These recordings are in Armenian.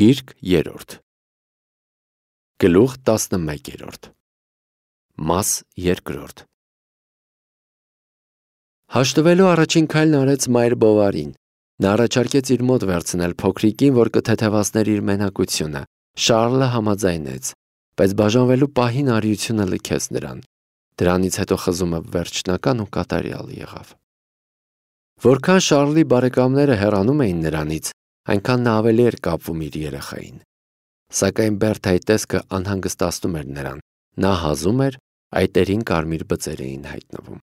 Գիրք 3 Գլուխ 11 Մաս 2 Հաշտվելու առաջին քայլն արեց Մայր Բովարին։ Նա առաջարկեց իր մոտ վերցնել փոքրիկին, որ կթեթևացներ իր մենակությունը։ Շարլը համաձայնեց, բայց բաժանվելու պահին արիությունը լքեց նրան։ Դրանից հետո խզումը վերջնական ու կատարյալ եղավ։ Որքան Շարլի բարեկամները հեռանում էին նրանից, այնքան նա ավելի էր կապվում իր երեխային։ Սակայն Բերթայի տեսքը անհանգստացնում էր նրան։ Նա հազում էր, այտերին կարմիր բծեր էին հայտնվում։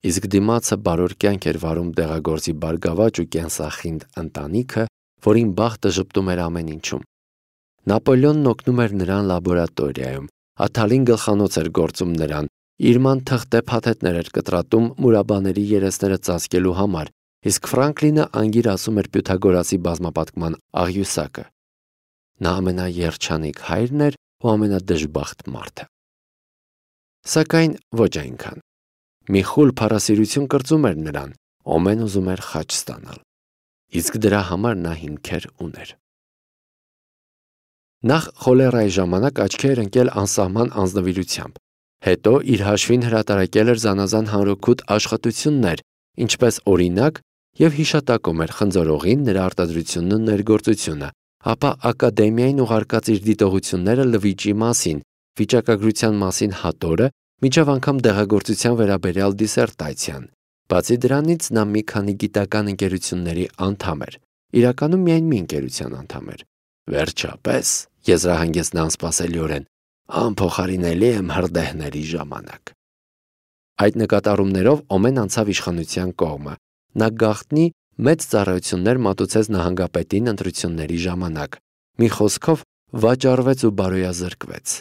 Իսկ դիմացը բարոր կյանք էր վարում դեղագործի բարգավաճ ու կենսախինդ ընտանիքը, որին բախտը ժպտում էր ամեն ինչում։ Նապոլեոնն օգնում էր նրան լաբորատորիայում, Աթալին գլխանոց էր գործում նրան, Իրման թղթե փաթեթներ էր կտրատում մուրաբաների երեսները ծածկելու համար, իսկ Ֆրանկլինը անգիր ասում էր Պյութագորասի բազմապատկման աղյուսակը։ Նա ամենաերջանիկ հայրն էր ու ամենադժբախտ մարդը։ Սակայն ոչ այնքան։ Մի խուլ փառասիրություն կրծում էր նրան, Օմեն ուզում էր խաչ ստանալ։ Իսկ դրա համար նա հիմքեր ուներ։ Նախ խոլերայի ժամանակ աչքի էր ընկել անսահման անձնվիրությամբ, հետո իր հաշվին հրատարակել էր զանազան հանրօգուտ աշխատություններ, ինչպես օրինակ, եւ հիշատակում էր խնձորողին, նրա արտադրությունն ու ներգործությունը, ապա ակադեմիային ուղարկած իր դիտողությունները լվիճի մասին, վիճակագրության մասին հատորը, մինչև անգամ դեղագործության վերաբերյալ դիսերտացիան։ Բացի դրանից նա մի քանի գիտական ընկերությունների անդամ էր, իրականում միայն մի ընկերության անդամ էր։ Վերջապես, եզրահանգեց նա անսպասելիորեն, անփոխարինելի եմ հրդեհների ժամանակ։ Այդ նկատառումներով Օմեն անցավ իշխանության կողմը։ Նա գաղտնի մեծ ծառայություններ մատուցեց նահանգապետին ընտրությունների ժամանակ։ Մի խոսքով վաճառվեց ու բարոյազրկվեց։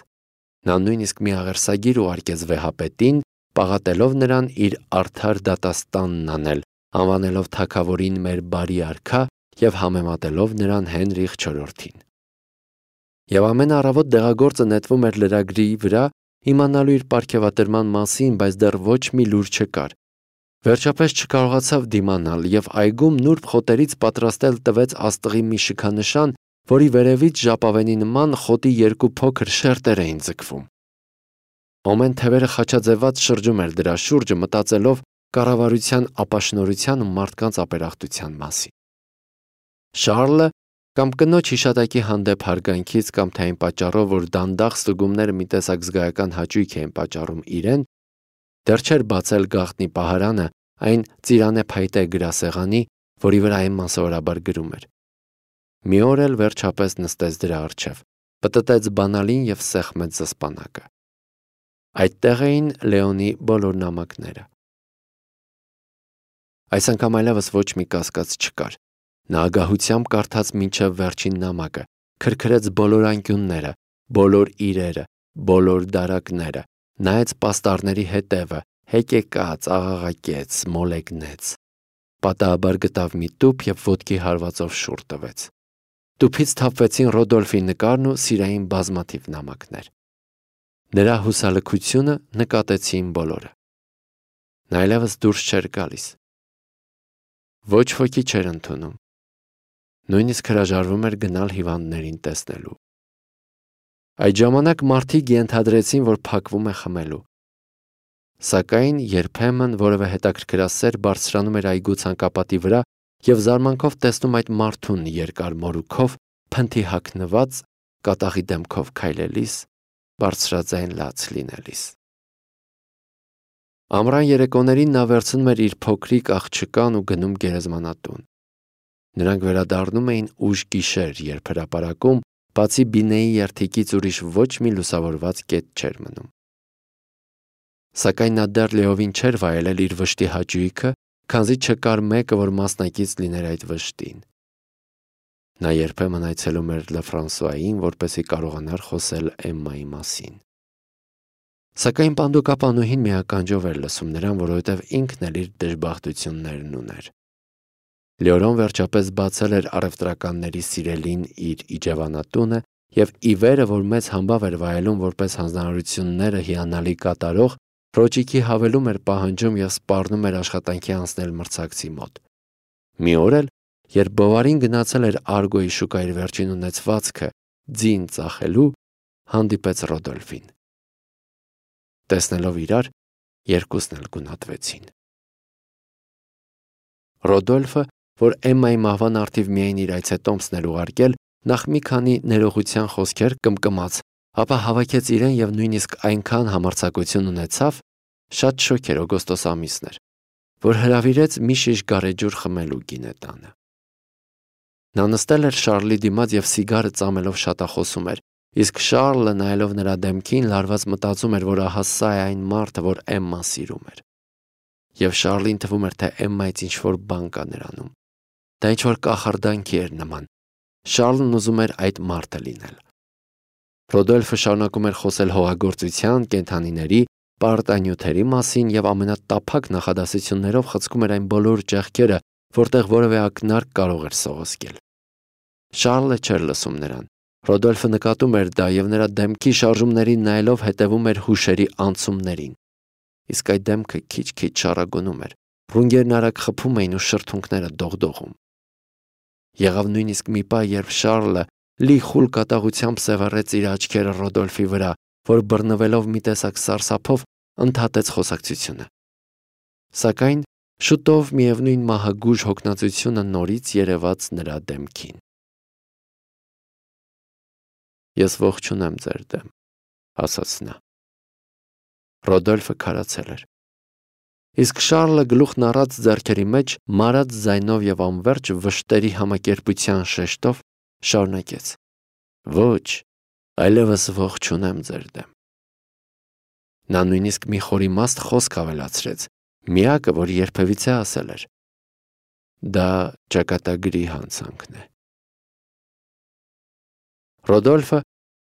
Նա նույնիսկ մի աղերսագիր ուղարկեց վեհապետին, պաղատելով նրան իր արդար դատաստանն անել, անվանելով թագավորին մեր բարի արքա եւ համեմատելով նրան Հենրիխ IV-ին։ Եվ ամեն առավոտ դեղագործը նետվում էր լրագրի վրա, իմանալու իր պարգևատրման մասին, բայց դեռ ոչ մի լուր չկար։ Վերջապես չկարողացավ դիմանալ եւ այգում նուրբ խոտերից պատրաստել տվեց աստղի մի շքանշան, որի վերևից ժապավենի նման խոտի երկու փոքր շերտեր էին ձգվում։ Օմեն թևերը խաչաձևած շրջում էր դրա շուրջը, մտածելով կառավարության ապաշնորհության ու մարդկանց ապերախտության մասին։ Շարլը կամ կնոջ հիշատակի հանդեպ հարգանքից կամ թե այն պատճառով, որ դանդաղ ստուգումները մի տեսակ զգայական հաճույք էին պատճառում իրեն, դեռ չէր բացել գաղտնի պահարանը, այն ծիրանե փայտե գրասեղանի, որի վրա Էմման սովորաբար գրում էր։ Մի օր էլ վերջապես նստեց դրա առջև, պտտեց բանալին եւ սեղմեց զսպանակը։ Այդտեղ էին Լեոնի բոլոր նամակները։ Այս անգամ այլևս ոչ մի կասկած չկար։ Նա ագահությամբ կարդաց մինչև վերջին նամակը, քրքրեց բոլոր անկյունները, բոլոր իրերը, բոլոր դարակները, նայեց պաստառների հետևը, հեկեկաց, աղաղակեց, մոլեգնեց։ Պատահաբար գտավ մի տուփ եւ ոտքի հարվածով շուռ տվեց։ Տուփից թափվեցին Ռոդոլֆի նկարն ու սիրային բազմաթիվ նամակներ։ Նրա հուսալքությունը նկատեցին բոլորը։ Նա այլևս դուրս չէր գալիս։ Ոչ ոքի չէր ընդունում։ Նույնիսկ հրաժարվում էր գնալ հիվանդներին տեսնելու։ Այդ ժամանակ մարդիկ ենթադրեցին, որ փակվում է խմելու։ Սակայն երբեմն որևէ հետաքրքրասեր բարձրանում էր այգու ցանկապատի վրա եւ զարմանքով տեսնում այդ մարդուն երկար մորուքով, փնթի հագնված, կատաղի դեմքով քայլելիս, բարձրաձայն լաց լինելիս։ Ամռան երեկոներին նա վերցնում էր իր փոքրիկ աղջկան ու գնում գերեզմանատուն։ Նրանք վերադառնում էին ուշ գիշեր, երբ հրապարակում, բացի Բինեի երթիկից ուրիշ ոչ մի լուսավորված կետ չէր մնում։ Սակայն նա դեռ լիովին չէր վայելել իր վշտի հաճույքը, քանզի չկար մեկը, որ մասնակից լիներ այդ վշտին։ Նա երբեմն այցելում էր Լը Ֆրանսուային, որպեսզի կարողանար խոսել Էմմայի մասին։ Սակայն պանդոկապանուհին միականջով էր լսում նրան, որովհետև ինքն էլ իր դժբախտություններն ուներ։ Լեորոն վերջապես բացել էր առևտրականների սիրելին իր իջևանատունը եւ ի վերը, որ մեծ համբավ էր վայելում որպես հանձնարարությունները հիանալի կատարող, Ռոճիկի հավելում էր պահանջում եւ սպառնում էր աշխատանքի անցնել մրցակցի մոտ։ Մի օր էլ երբ Բովարին գնացել էր Արգոյի շուկայի վերջին ունեցվածքը ձին ծախելու, հանդիպեց Ռոդոլֆին։ Տեսնելով իրար, երկուսն էլ գունատվեցին։ Ռոդոլֆը, որ Էմմայի մահվան առթիվ միայն իր այցետոմսն էր ուղարկել, նախ մի քանի ներողության խոսքեր կմկմաց, ապա հավաքեց իրեն եւ նույնիսկ այնքան համարձակություն ունեցավ, շատ շոգ էր օգոստոս ամիսն էր, որ հրավիրեց մի շիշ գարեջուր խմելու գինետանը։ Նա նստել էր Շարլի դիմաց եւ սիգարը ծամելով շատախոսում էր, իսկ Շարլը նայելով նրա դեմքին լարված մտածում էր, որ ահա սա է այն մարդը, որ Էմման սիրում էր։ Եվ Շարլին թվում էր, թե Էմմայից ինչ-որ բան կա նրանում։ Դա ինչ-որ կախարդանքի էր նման։ Շարլն ուզում էր այդ մարդը լինել։ Ռոդոլֆը շարունակում էր խոսել հողագործության, կենդանիների, պարտանյութերի մասին եւ ամենատափակ նախադասություններով խցկում էր այն բոլոր ճեղքերը, որտեղ որևէ ակնարկ կարող էր սողոսկել։ Շարլը չէր լսում նրան։ Ռոդոլֆը նկատում էր դա եւ նրա դեմքի շարժումներին նայելով հետևում էր հուշերի անցումներին։ Իսկ այդ դեմքը քիչ-քիչ շարագոնում էր։ Ռունգերն արագ խփում էին ու շրթունքները դողդողում։ Եղավ նույնիսկ մի պահ, երբ Շարլը լի խուլ կատաղությամբ սևեռեց իր աչքերը Ռոդոլֆի վրա, որ բռնվելով մի տեսակ սարսափով ընդհատեց խոսակցությունը։ Սակայն շուտով միևնույն մահագուժ հոգնածությունը նորից երևաց նրա դեմքին։ Ես ողջունեմ ձեր դեմ, ասաց նա։ Ռոդոլֆը քարացել էր։ Իսկ Շարլը գլուխն առած ձեռքերի մեջ մարած ձայնով եւ անverջ վշտերի համակերպության շեշտով շարունակեց. Ոչ, այլևս ողջունեմ ձեր դեմ։ Նա նույնիսկ մի խորիմաստ խոսք ավելացրեց, միակը, որ երբևիցե ասել էր. Դա ճակատագրի հանցանքն է։ Ռոդոլֆը,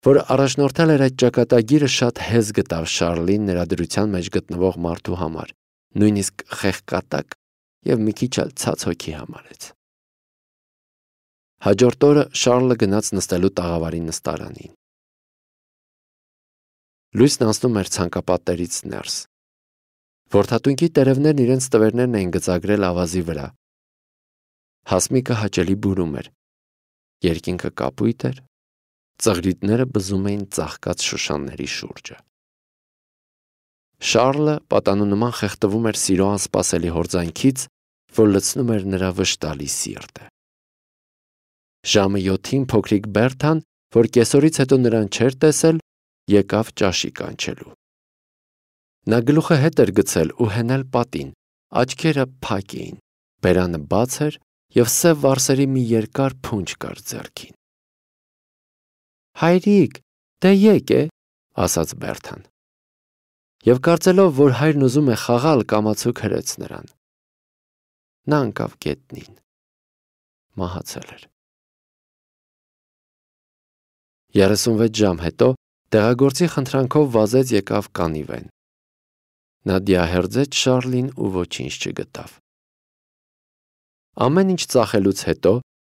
որ առաջնորդել էր այդ ճակատագիրը, շատ հեզ գտավ Շարլին նրա դրության մեջ գտնվող մարդու համար, նույնիսկ խեղկատակ եւ մի քիչ էլ ցած հոգի համարեց։ Հաջորդ օրը Շարլը գնաց նստելու տաղավարի նստարանին։ Լույսն անցնում էր ցանկապատերից ներս։ Որդատունքի տերևներն իրենց տվերներն էին գծագրել ավազի վրա։ Հասմիկը հաճելի բուրում էր։ Երկինքը կապույտ էր, ծղրիտները բզում էին ծաղկած շուշանների շուրջը։ Շարլը պատանունման խեղդվում էր սիրո անսպասելի հորձանքից, որ լցնում էր նրա վշտալի սիրտը։ Ժամը 7-ին փոքրիկ Բերթան, որ կեսօրից հետո նրան չէր տեսել, եկավ ճաշի կանչելու։ Նա գլուխը հետ էր գցել ու հենել պատին, աչքերը փակ էին, բերանը բաց էր եւ սև վարսերի մի երկար փունջ կար ձեռքին։ Հայրիկ, դե եկ է, ասաց Բերթան։ Եվ կարծելով, որ հայրն ուզում է խաղալ, կամացուկ հրեց նրան։ Նա ընկավ գետնին։ Մահացել էր։ 36 ժամ հետո տեղագործի խնդրանքով վազեց եկավ կանիվեն։ Նա դիահերձեց Շարլին ու ոչինչ չգտավ։ Ամեն ինչ ծախելուց հետո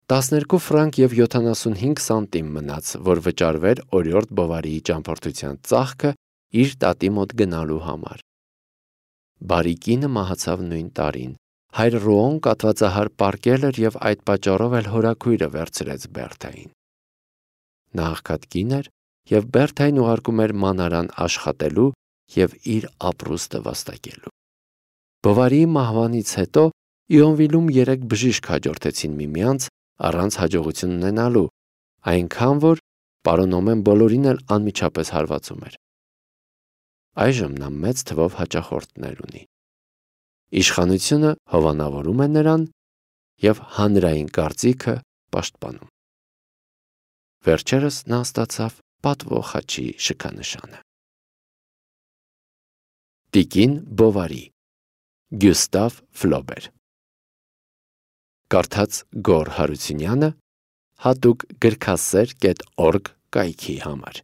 12 ֆրանկ եւ 75 սանտիմ մնաց, որ վճարվեր օրիորդ Բովարիի ճամփորդության ծախքը իր տատի մոտ գնալու համար։ Բարի կինը մահացավ նույն տարին։ Հայր Ռոոն կատվածահար պարկել էր եւ այդ պատճառով էլ հորաքույրը վերցրեց Բերթային։ Նա աղքատ կին էր եւ Բերթային ուղարկում էր մանարան աշխատելու եւ իր ապրուստը վաստակելու։ Բովարիի մահվանից հետո Իոնվիլում 3 բժիշկ հաջորդեցին միմյանց առանց հաջողություն ունենալու, այնքան որ պարոն Օմեն բոլորին էլ անմիջապես հարվածում էր։ Այժմ նա մեծ թվով հաճախորդներ ունի։ Իշխանությունը հովանավորում է նրան եւ հանրային կարծիքը պաշտպանում։ Վերջերս նա ստացավ պատվո խաչի շքանշանը։ Տիկին Բովարի, Գյուստավ Ֆլոբեր։ Կարդաց Գոռ Հարությունյանը, հատուկ գրքասեր.org կայքի համար։